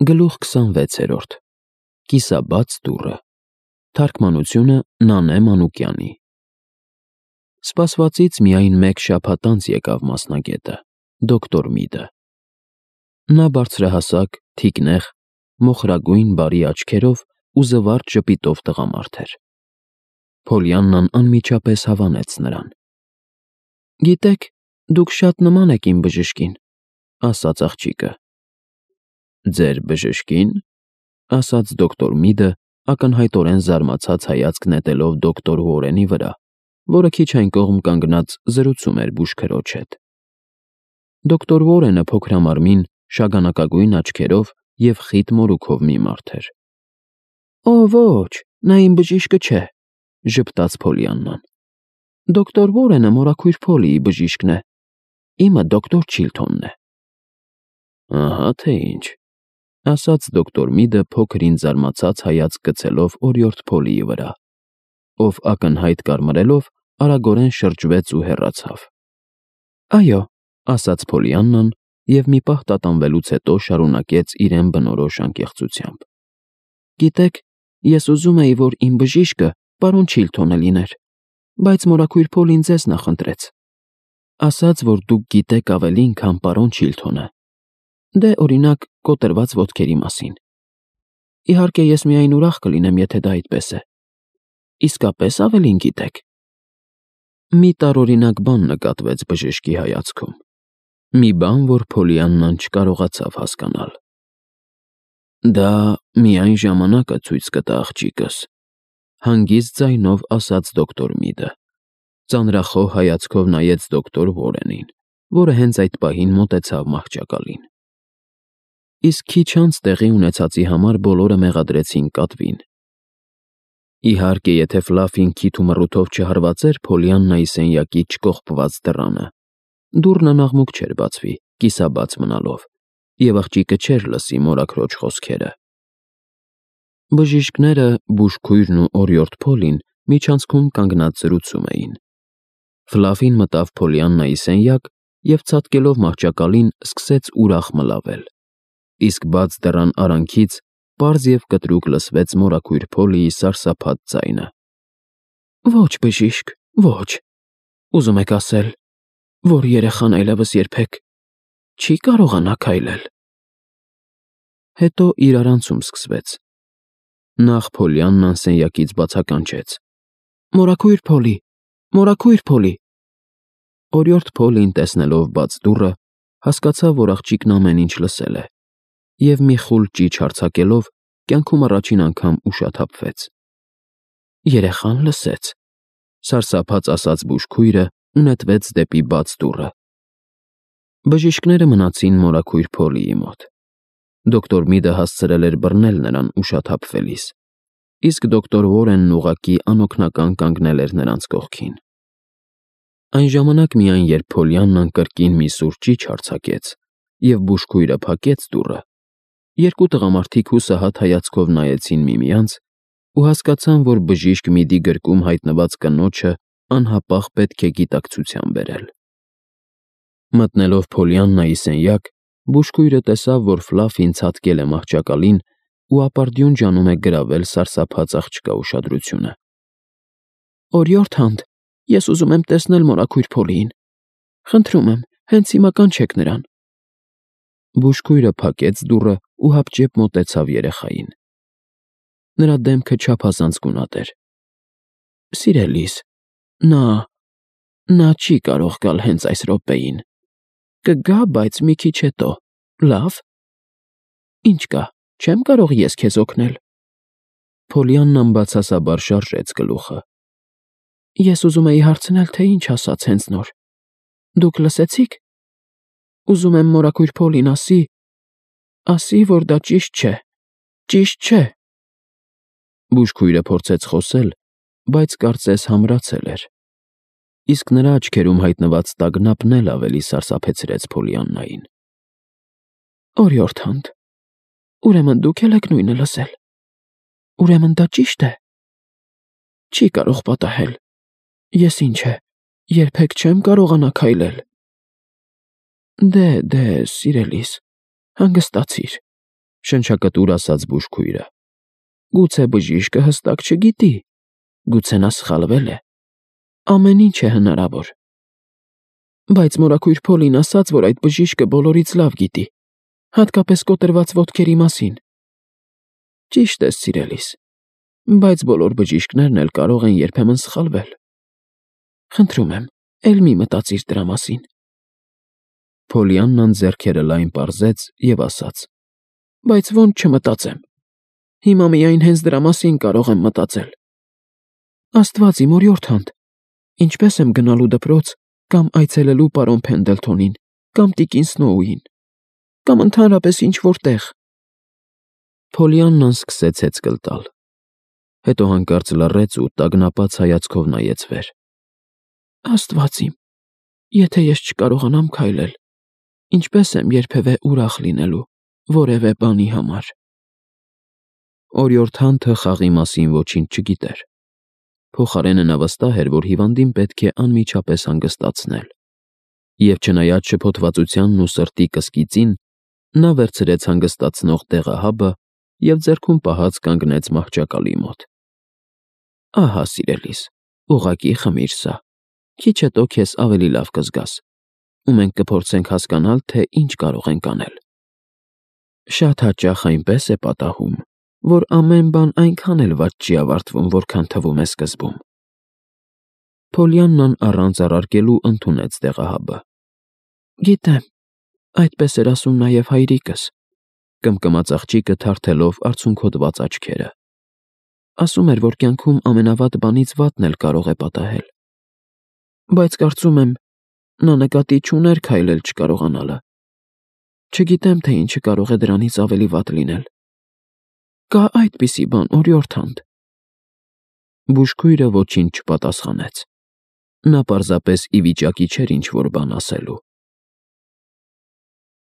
Գլուխ 26. Կիսաբաց դուռը։ Թարգմանությունը Նանե Մանուկյանի։ Սպասվածից միայն մեկ շաբաթ անց եկավ մասնագետը, դոկտոր Միդը։ Նա բարձրահասակ, թիկնեղ, մոխրագույն բարի աչքերով ու զվարթ ժպիտով տղամարդ էր։ Փոլիաննան անմիջապես հավանեց նրան։ «Գիտեք, դուք շատ նման եք իմ բժշկին», ասաց աղջիկը։ «Ձեր բժշկին», ասաց դոկտոր Միդը, ակնհայտորեն զարմացած հայացք նետելով դոկտոր Ուորենի վրա, որը քիչ այն կողմ կանգնած զրուցում էր բուժքրոջ հետ։ Դոկտոր Ուորենը փոքրամարմին, շագանակագույն աչքերով և խիտ մորուքով մի մարդ էր։ «Օ, ոչ, նա իմ բժիշկը չէ», ժպտաց Փոլիաննան։ «Դոկտոր Ուորենը մորաքույր Փոլիի բժիշկն է, իմը դոկտոր Չիլթոնն է»։ «Ահա թե ինչ», ասաց դոկտոր Միդը փոքրին զարմացած հայացք գցելով օրիորդ Փոլիի վրա, ով ակնհայտ կարմրելով արագորեն շրջվեց ու հեռացավ։ «Այո», ասաց Փոլիաննան և մի պահ տատանվելուց հետո շարունակեց իրեն բնորոշ անկեղծությամբ։ «Գիտեք, ես ուզում էի, որ իմ բժիշկը պարոն Չիլթոնը լիներ, բայց մորաքույր Փոլին ձեզ նախընտրեց։ Ասաց, որ դուք գիտեք ավելին, քան պարոն Չիլթոնը, դե օրինակ կոտրված ոտքերի մասին։ Իհարկե, ես միայն ուրախ կլինեմ, եթե դա այդպես է։ Իսկապես ավելին գիտեք»։ Մի տարօրինակ բան նկատվեց բժշկի հայացքում, մի բան, որ Փոլիաննան չկարողացավ հասկանալ։ «Դա միայն ժամանակը ցույց կտա, աղջիկս», հանգիստ ձայնով ասաց դոկտոր Միդը։ Ծանրախոհ հայացքով նայեց դոկտոր Ուորենին, որը հենց այդ պահին մոտեցավ մահճակալին։ Իսկ քիչ անց տեղի ունեցածի համար բոլորը մեղադրեցին կատվին։ Իհարկե, եթե Ֆլաֆին քիթ ու մռութով չհարվածեր Փոլիաննայի սենյակի չկողպված դռանը, դուռն անաղմուկ չէր բացվի, կիսաբաց մնալով, և աղջիկը չէր լսի մորաքրոջ խոսքերը։ Բժիշկները, բուժքույրն ու օրիորդ Փոլին միջանցքում կանգնած զրուցում էին։ Ֆլաֆին մտավ Փոլիաննայի սենյակ և ցատկելով մահճակալին սկսեց ուրախ մլավել, իսկ բաց դռան արանքից պարզ և կտրուկ լսվեց մորաքույր Փոլիի սարսափած ձայնը. «Ոչ, բժիշկ, ոչ, ուզում եք ասել, որ երեխան այլևս երբեք չի կարողանա քայլել»։ Հետո իրարանցում սկսվեց։ Նախ Փոլիաննան սենյակից բացականչեց. «Մորաքույր Փոլի, մորաքույր Փոլի»։ Օրիորդ Փոլին, տեսնելով բաց դուռը, հասկացավ, որ աղջիկն ամեն ինչ լսել է, և մի խուլ ճիչ արձակելով, կյանքում առաջին անգամ ուշաթափվեց։ «Երեխան լսեց», սարսափած ասաց բուժքույրը ու նետվեց դեպի բաց դուռը։ Բժիշկները մնացին մորաքույր Փոլիի մոտ։ Դոկտոր Միդը հասցրել էր բռնել նրան ուշաթափվելիս, իսկ դոկտոր Ուորենն ուղղակի անօգնական կանգնել էր նրանց կողքին։ Այն ժամանակ միայն, երբ Փոլիաննան կրկին մի սուր ճիչ արձակեց, և բուժքույրը փակեց դուռը, երկու տղամարդիկ հուսահատ հայացքով նայեցին միմյանց ու հասկացան, որ բժիշկ Միդի գրկում հայտնված կնոջը անհապաղ պետք է գիտակցության բերել։ Մտնելով Փոլիաննայի սենյակ, բուժքույրը տեսավ, որ Ֆլաֆին ցատկել է մահճակալին ու ապարդյուն ջանում է գրավել սարսափած աղջկա ուշադրությունը։ «Օրիորդ Հանդ, ես ուզում եմ տեսնել մորաքույր Փոլիին։ Խնդրում եմ, հենց հիմա կանչեք նրան»։ Բուժքույրը փակեց դուռը ու հապճեպ մոտեցավ երեխային։ Նրա դեմքը չափազանց գունատ էր։ «Սիրելիս, նա չի կարող գալ հենց այս րոպեին։ Կգա, բայց մի քիչ հետո, լավ»։ «Ինչ կա, չեմ կարող ես քեզ օգնել»։ Փոլիաննան բացասաբար շարժեց գլուխը։ «Ես ուզում էի հարցնել, թե ինչ ասաց հենց նոր։ Դուք լսեցի՞ք։ Ուզում եմ մորաքույր Փոլին ասի, որ դա ճիշտ չէ, ճիշտ չէ»։ Բուժքույրը փորձեց խոսել, բայց կարծես համրացել էր, իսկ նրա աչքերում հայտնված տագնապն էլ ավելի սարսափեցրեց Փոլիաննային։ «Օրիորդ Հանդ, ուրեմն դուք էլ եք նույնը լսել։ Ուրեմն դա ճիշտ է։ Չի կարող պատահել։ Ես ինչ է, երբեք չեմ կարողանա քայլել։ Դե, սիրելիս, հանգստացիր, Շնչակտուր ասաց բուժքույրը։ Գուցե բժիշկը հստակ չգիտի, գուցե նա սխալվել է։ Ամեն ինչ է հնարավոր։ Բայց մորաքույր Փոլին ասաց, որ այդ բժիշկը բոլորից լավ գիտի, հատկապես կոտրված ոտքերի մասին։ Ճիշտ ես, սիրելիս, բայց բոլոր բժիշկներն էլ կարող են երբեմն սխալվել։ Խնդրում եմ, էլ մի մտածիր դրա մասին։ Փոլիաննան ձեռքերը լայն պարզեց և ասաց. Բայց ոնց չմտածեմ։ Հիմա միայն հենց դրա մասին կարող եմ մտածել։ Աստված իմ օրիորդանդ, ինչպես եմ գնալու դպրոց կամ այցելելու պարոն Փենդլթոնին կամ տիկին Սնոուին, կամ ընդհանրապես ինչ-որ տեղ։ Փոլիաննան սկսեց հեծկլ տալ։ Հետո հանկարծ լռեց ու տագնապած հայացքով նայեց վեր։ Աստված իմ, եթե ես չկարողանամ քայլել, ինչպես եմ երբևէ ուրախ լինելու որևէ բանի համար։ Օրիորդանթը խաղի մասին ոչինչ չգիտեր։ Փոխարենը նա վստահ էր, որ հիվանդին պետք է անմիջապես հանգստացնել։ Եվ չնայած շփոթվածությանն ու սրտի կսկիծին, նա վերցրեց հանգստացնող դեղահաբը և ձեռքում պահած կանգնեց մահճակալի մոտ։ Ահա, սիրելիս, ուղղակի խմիր սա, քիչ հետո քեզ ավելի լավ կզգաս, ու մենք կփորձենք հասկանալ, թե ինչ կարող ենք անել։ Շատ հաճախ այնպես է պատահում, որ ամեն բան այնքան էլ վատ չի ավարտվում, որքան թվում է սկզբում։ Փոլիաննան առանց առարկելու ընդունեց դեղահաբը։ Գիտեմ, այդպես էր ասում նաև հայրիկս, կմկմաց աղջիկը թարթելով արցունքոտված աչքերը։ Ասում էր, որ կյանքում ամենավատ բանից վատն էլ կարող է պատահել։ Բայց կարծում եմ, նա նկատի չուներ քայլել չկարողանալը։ Չգիտեմ, թե ինչը կարող է դրանից ավելի վատ լինել։ Կա այդպիսի բան, օրիորդանդ։ Բուժքույրը ոչինչ չպատասխանեց։ Նա պարզապես ի վիճակի չէր ինչ-որ բան ասելու։